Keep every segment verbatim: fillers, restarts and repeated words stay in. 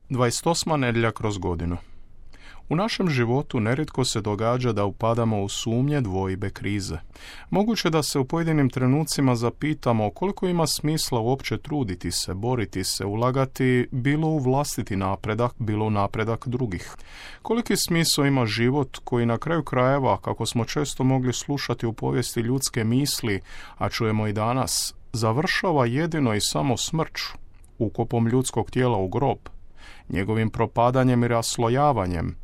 dvadeset osma nedjelja kroz godinu. U našem životu nerijetko se događa da upadamo u sumnje, dvojbe, krize. Moguće da se u pojedinim trenucima zapitamo koliko ima smisla uopće truditi se, boriti se, ulagati bilo u vlastiti napredak, bilo u napredak drugih. Koliki smisao ima život koji na kraju krajeva, kako smo često mogli slušati u povijesti ljudske misli, a čujemo i danas, završava jedino i samo smrću, ukopom ljudskog tijela u grob, njegovim propadanjem i raslojavanjem,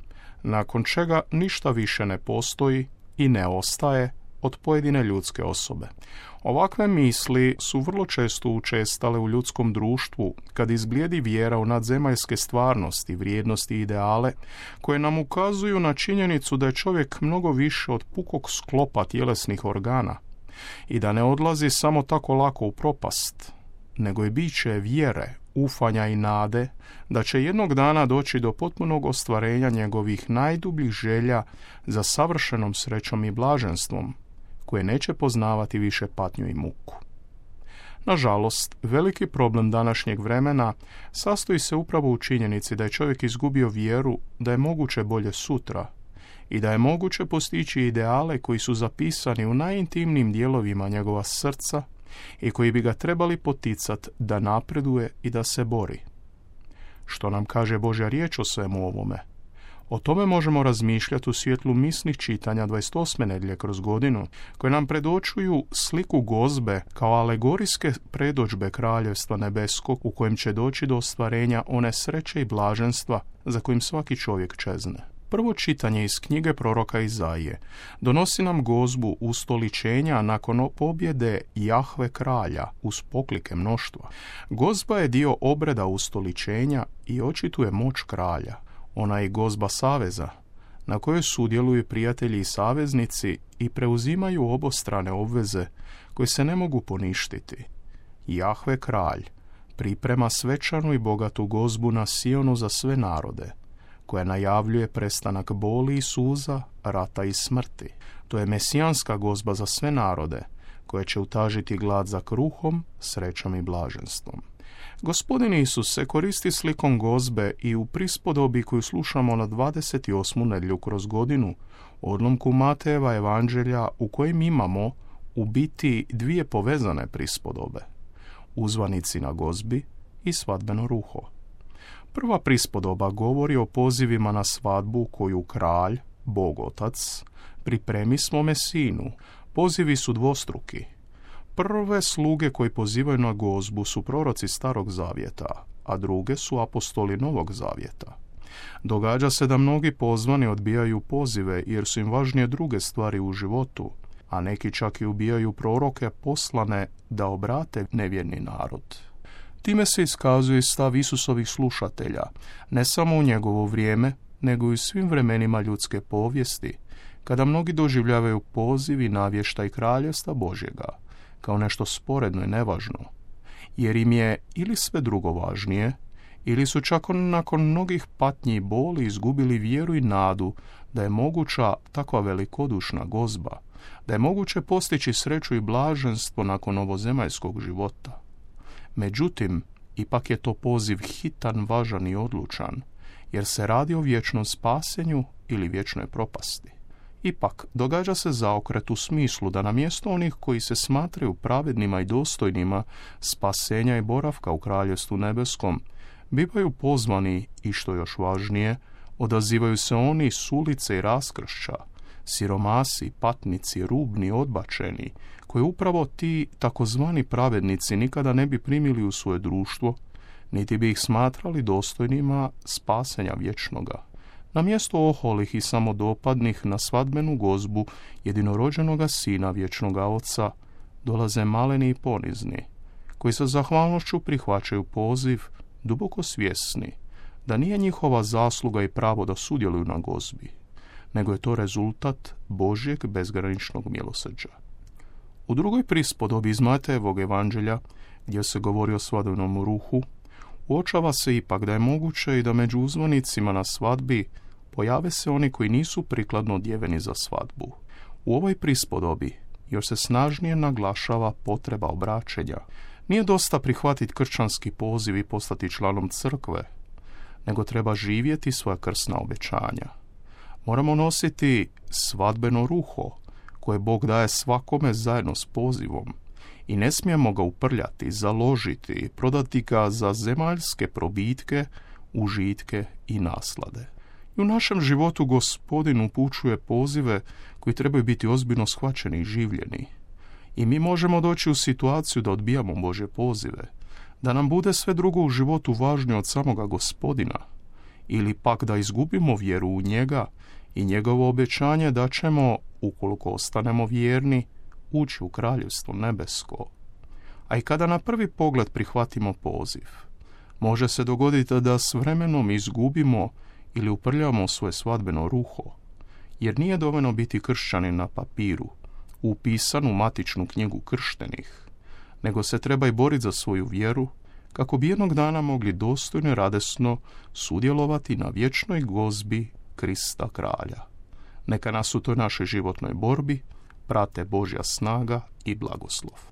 nakon čega ništa više ne postoji i ne ostaje od pojedine ljudske osobe. Ovakve misli su vrlo često učestale u ljudskom društvu kad izblijedi vjera u nadzemaljske stvarnosti, vrijednosti i ideale koje nam ukazuju na činjenicu da je čovjek mnogo više od pukog sklopa tjelesnih organa i da ne odlazi samo tako lako u propast, nego je biće vjere, ufanja i nade da će jednog dana doći do potpunog ostvarenja njegovih najdubljih želja za savršenom srećom i blaženstvom, koje neće poznavati više patnju i muku. Nažalost, veliki problem današnjeg vremena sastoji se upravo u činjenici da je čovjek izgubio vjeru da je moguće bolje sutra i da je moguće postići ideale koji su zapisani u najintimnijim dijelovima njegova srca i koji bi ga trebali poticati da napreduje i da se bori. Što nam kaže Božja riječ o svemu ovome? O tome možemo razmišljati u svjetlu misnih čitanja dvadeset osme nedjelje kroz godinu, koje nam predočuju sliku gozbe kao alegorijske predođbe kraljevstva nebeskog u kojem će doći do ostvarenja one sreće i blaženstva za kojim svaki čovjek čezne. Prvo čitanje iz knjige proroka Izaije donosi nam gozbu ustoličenja nakon pobjede Jahve kralja uz poklike mnoštva. Gozba je dio obreda ustoličenja i očituje moć kralja. Ona je gozba saveza, na kojoj sudjeluju prijatelji i saveznici i preuzimaju obostrane obveze koje se ne mogu poništiti. Jahve kralj priprema svečanu i bogatu gozbu na Sionu za sve narode, koja najavljuje prestanak boli i suza, rata i smrti. To je mesijanska gozba za sve narode, koja će utažiti glad za kruhom, srećom i blaženstvom. Gospodin Isus se koristi slikom gozbe i u prispodobi koju slušamo na dvadeset osmu nedjelju kroz godinu, odlomku Matejeva evanđelja u kojem imamo u biti dvije povezane prispodobe, uzvanici na gozbi i svadbeno ruho. Prva prispodoba govori o pozivima na svadbu koju kralj, Bog Otac, pripremi svome sinu. Pozivi su dvostruki. Prve sluge koji pozivaju na gozbu su proroci Starog zavjeta, a druge su apostoli Novog zavjeta. Događa se da mnogi pozvani odbijaju pozive jer su im važnije druge stvari u životu, a neki čak i ubijaju proroke poslane da obrate nevjerni narod. Time se iskazuje stav Isusovih slušatelja, ne samo u njegovo vrijeme, nego i u svim vremenima ljudske povijesti, kada mnogi doživljavaju poziv i navještaj kraljevstva Božjega kao nešto sporedno i nevažno, jer im je ili sve drugo važnije, ili su čak nakon mnogih patnji i boli izgubili vjeru i nadu da je moguća takva velikodušna gozba, da je moguće postići sreću i blaženstvo nakon ovozemaljskog života. Međutim, ipak je to poziv hitan, važan i odlučan, jer se radi o vječnom spasenju ili vječnoj propasti. Ipak, događa se zaokret u smislu da na mjesto onih koji se smatraju pravednima i dostojnima spasenja i boravka u Kraljevstvu nebeskom, bivaju pozvani i, što još važnije, odazivaju se oni s ulice i raskršća, siromasi, patnici, rubni, odbačeni, koje upravo ti takozvani pravednici nikada ne bi primili u svoje društvo, niti bi ih smatrali dostojnima spasenja vječnoga. Na mjesto oholih i samodopadnih na svadbenu gozbu jedinorođenoga sina vječnoga oca dolaze maleni i ponizni, koji sa zahvalnošću prihvaćaju poziv, duboko svjesni da nije njihova zasluga i pravo da sudjeluju na gozbi, nego je to rezultat Božjeg bezgraničnog milosrđa. U drugoj prispodobi iz Matejevog evanđelja, gdje se govori o svadbenom ruhu, uočava se ipak da je moguće i da među uzvanicima na svadbi pojave se oni koji nisu prikladno odjeveni za svadbu. U ovoj prispodobi još se snažnije naglašava potreba obraćenja. Nije dosta prihvatiti kršćanski poziv i postati članom crkve, nego treba živjeti svoja krsna obećanja. Moramo nositi svadbeno ruho, koje Bog daje svakome zajedno s pozivom, i ne smijemo ga uprljati, založiti, prodati ga za zemaljske probitke, užitke i naslade. I u našem životu Gospodin upućuje pozive koji trebaju biti ozbiljno shvaćeni i življeni. I mi možemo doći u situaciju da odbijamo Božje pozive, da nam bude sve drugo u životu važnije od samoga Gospodina, ili pak da izgubimo vjeru u njega i njegovo obećanje da ćemo, ukoliko ostanemo vjerni, ući u kraljevstvo nebesko. A i kada na prvi pogled prihvatimo poziv, može se dogoditi da s vremenom izgubimo ili uprljamo svoje svadbeno ruho, jer nije dovoljno biti kršćanin na papiru, upisan u matičnu knjigu krštenih, nego se treba i boriti za svoju vjeru, kako bi jednog dana mogli dostojno i radosno sudjelovati na vječnoj gozbi Krista kralja. Neka nas u toj našoj životnoj borbi prate Božja snaga i blagoslov.